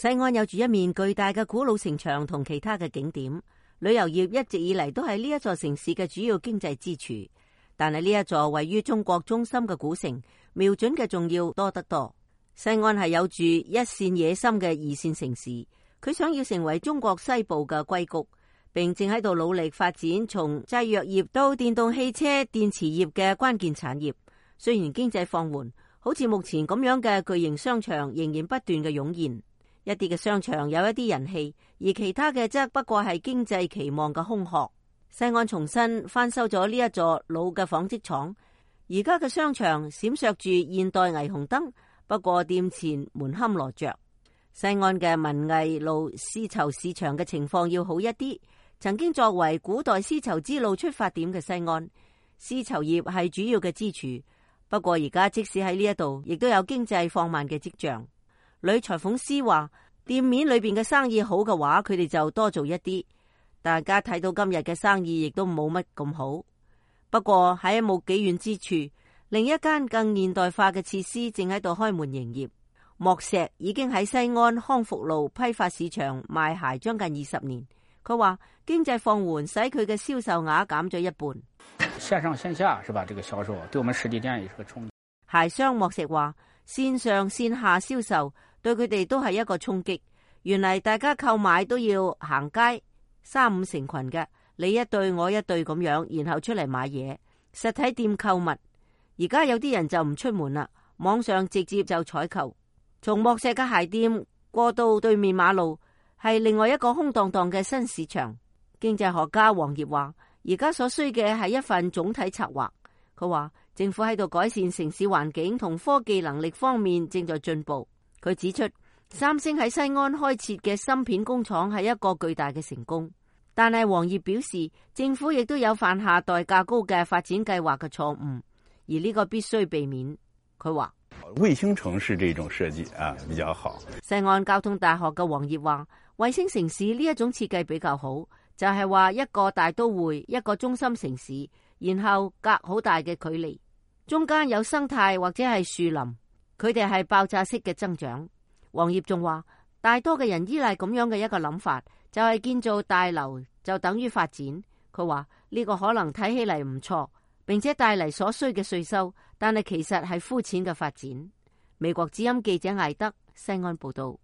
西岸有住一面巨大嘅古老城牆同其他嘅景點，旅遊業一直以嚟都係呢一座城市嘅主要經濟支柱。但係呢一座位於中國中心嘅古城，瞄準嘅仲要多得多。西岸係有住一線野心嘅二線城市，佢想要成為中國西部嘅硅谷，並正喺度努力發展從製藥業到電動汽車電池業嘅關鍵產業。雖然經濟放緩，好似目前咁樣嘅巨型商場仍然不斷嘅湧現。一啲嘅商場有一啲人氣，而其他嘅則不過係經濟期望嘅空殼。西岸重新翻修咗呢一座老嘅紡織廠，而家嘅商場閃爍住現代霓虹燈，不過店前門可羅雀。西岸嘅文藝路絲綢市場嘅情況要好一啲。曾經作為古代絲綢之路出發點嘅西岸，絲綢業係主要嘅支柱。不過而家即使喺呢一度，亦都有經濟放慢嘅跡象。女裁縫師話，店面裏邊嘅生意好嘅話，佢哋就多做一啲。大家睇到今日嘅生意亦都冇乜咁好。不過喺冇幾遠之處，另一間更現代化嘅設施正喺度開門營業。莫石已經喺西安康復路批發市場賣鞋將近20年。佢話經濟放緩使佢嘅銷售額減咗一半。線上線下是吧？這個銷售對我們實體店也是個衝擊。鞋商莫石話，線上線下銷售對佢哋都係一個衝擊。原嚟大家購買都要行街，3-5成群嘅，你一對我一對咁樣，然後出嚟買嘢。實體店購物，而家有啲人就唔出門啦，網上直接就採購。從莫石嘅鞋店過到對面馬路，係另外一個空蕩蕩嘅新市場。經濟學家黃業話，而家所需嘅係一份總體策劃。佢話政府喺度改善城市環境同科技能力方面正在進步。佢指出，三星喺西安開設嘅芯片工廠係一個巨大嘅成功。但係黃業表示，政府亦都有犯下代價高嘅發展計劃嘅錯誤，而呢個必須避免。佢話衛星城市這種設計啊比較好。西安交通大學嘅黃業話，衛星城市呢一種設計比較好，就係話一個大都會，一個中心城市，然後隔好大嘅距離，中間有生態或者係樹林，佢哋係爆炸式嘅增長。黃業仲話，大多嘅人依賴咁樣嘅一個諗法，就係建造大樓就等於發展。佢話呢個可能睇起嚟唔錯，並且帶嚟所需嘅稅收，但係其實係膚淺嘅發展。美國之音記者艾德西安報道。